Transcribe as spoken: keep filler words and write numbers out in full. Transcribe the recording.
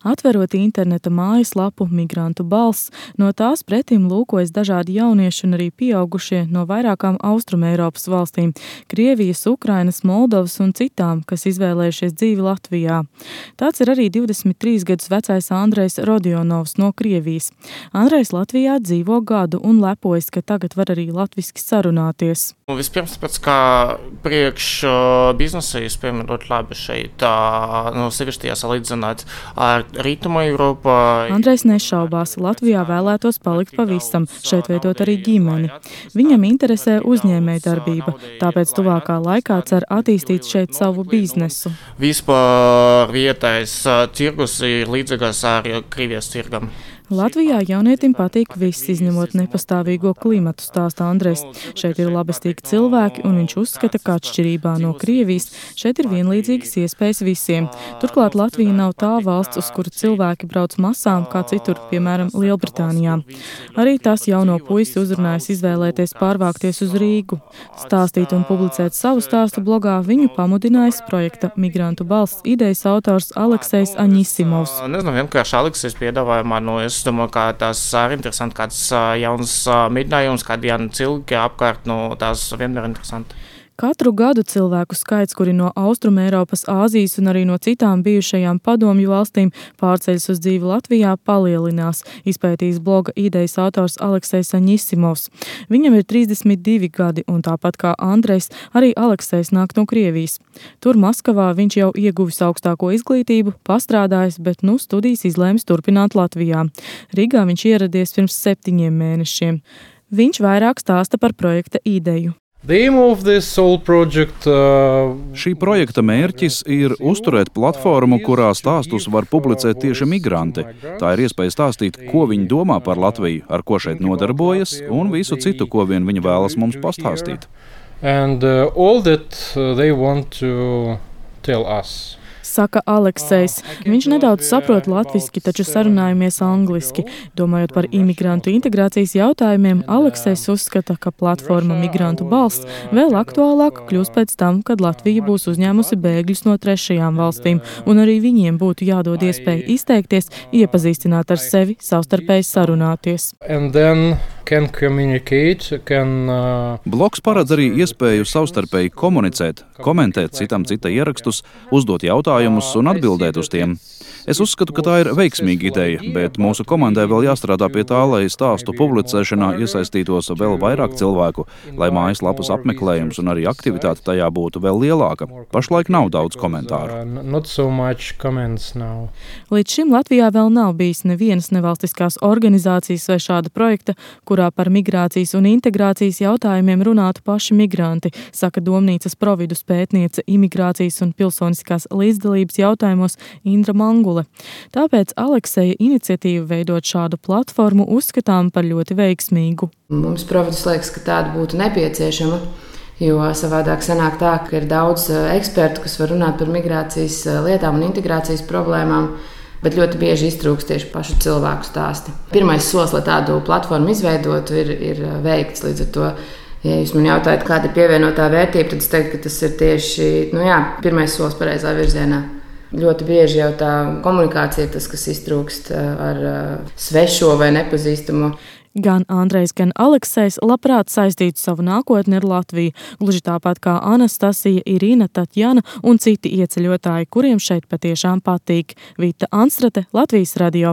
Atverot interneta mājaslapu Migrantu balss, no tās pretim lūkojas dažādi jaunieši un arī pieaugušie no vairākām Austrumeiropas valstīm – Krievijas, Ukrainas, Moldovas un citām, kas izvēlējušies dzīvi Latvijā. Tāds ir arī divdesmit trīs gadus vecais Andrejs Rodionovs no Krievijas. Andrejs Latvijā dzīvo gadu un lepojas, ka tagad var arī latviski sarunāties. Vispirms, tāpēc, kā priekš biznesa iespējami ļoti labi šeit, nu, sevišķi jāsalīdzināt ar Rietumu Eiropu. Andrejs nešaubās, Latvijā vēlētos palikt pavisam, šeit veidot arī ģimeni. Viņam interesē uzņēmējdarbība, tāpēc tuvākā laikā cer attīstīt šeit savu biznesu. Vispār vietējais tirgus ir līdzīgās ar Krievijas tirgam. Latvijā jaunietim patīk viss, izņemot nepastāvīgo klimatu, stāsta Andrejs. Šeit ir labestīgi cilvēki, un viņš uzskata, ka atšķirībā no Krievijas šeit ir vienlīdzīgas iespējas visiem. Turklāt Latvija nav tā valsts, uz kuru cilvēki brauc masām, kā citur, piemēram, Lielbritānijā. Arī tas jauno puisi uzrunājas izvēlēties pārvākties uz Rīgu. Stāstīt un publicēt savu stāstu blogā viņu pamudinājis projekta Migrantu balss idejas autors Aleksejs Aņisimovs. Nezinu, vienkārši Aleksejs piedāvāja man, no es domāju, ka tas ir interesanti, kāds jauns mēģinājums, kādi jauni cilvēki apkārt, no tās vienmēr interesanti. Katru gadu cilvēku skaits, kuri no Austrumeiropas, Āzijas un arī no citām bijušajām padomju valstīm pārceļas uz dzīvi Latvijā, palielinās, izpētījis bloga idejas autors Aleksejs Aņisimovs. Viņam ir trīsdesmit divi gadi, un tāpat kā Andrejs, arī Aleksejs nāk no Krievijas. Tur Maskavā viņš jau ieguvis augstāko izglītību, pastrādājis, bet nu studijas izlēmis turpināt Latvijā. Rīgā viņš ieradies pirms septiņiem mēnešiem. Viņš vairāk stāsta par projekta ideju. Project, uh, Šī projekta mērķis ir uzturēt platformu, kurā stāstus var publicēt tieši migranti. Tā ir iespēja stāstīt, ko viņi domā par Latviju, ar ko šeit nodarbojas, un visu citu, ko vien viņi vēlas mums pastāstīt. And, uh, all that they want to tell us. Saka Aleksejs. Viņš nedaudz saprot latviski, taču sarunājamies angliski. Domājot par imigrantu integrācijas jautājumiem, Aleksejs uzskata, ka platforma Migrantu balss vēl aktuālāka kļūs pēc tam, kad Latvija būs uzņēmusi bēgļus no trešajām valstīm, un arī viņiem būtu jādod iespēja izteikties, iepazīstināt ar sevi, savstarpēji sarunāties. Can communicate, can, uh... Blogs paredz arī iespēju savstarpēji komunicēt, komentēt citam cita ierakstus, uzdot jautājumus un atbildēt uz tiem. Es uzskatu, ka tā ir veiksmīga ideja, bet mūsu komandai vēl jāstrādā pie tā, lai stāstu publicēšanā iesaistītos vēl vairāk cilvēku, lai mājaslapas apmeklējums un arī aktivitāte tajā būtu vēl lielāka. Pašlaik nav daudz komentāru. So Līdz šim Latvijā vēl nav bijis nevienas nevalstiskās organizācijas vai šāda projekta, kurā par migrācijas un integrācijas jautājumiem runātu paši migranti, saka Domnīcas providus pētniece imigrācijas un pilsoniskās līdzdalības jautājumos Indra Mangule. Tāpēc Alekseja iniciatīvu veidot šādu platformu uzskatām par ļoti veiksmīgu. Mums providus liekas, ka tāda būtu nepieciešama, jo savādāk sanāk tā, ka ir daudz ekspertu, kas var runāt par migrācijas lietām un integrācijas problēmām, bet ļoti bieži iztrūkst tieši pašu cilvēku stāsti. Pirmais solis, lai tādu platformu izveidotu, ir, ir veikts. Līdz ar to, ja jūs man jautājat, kāda ir pievienotā vērtība, tad es teiktu, ka tas ir tieši nu jā, pirmais solis pareizā virzienā. Ļoti bieži jau tā komunikācija ir tas, kas iztrūkst ar svešo vai nepazīstamo. Gan Andrejs, gan Aleksejs labprāt saistītu savu nākotni ar Latviju, gluži tāpat kā Anastasija, Irina, Tatjana un citi ieceļotāji, kuriem šeit patiešām patīk. Vita Anstrate, Latvijas radio.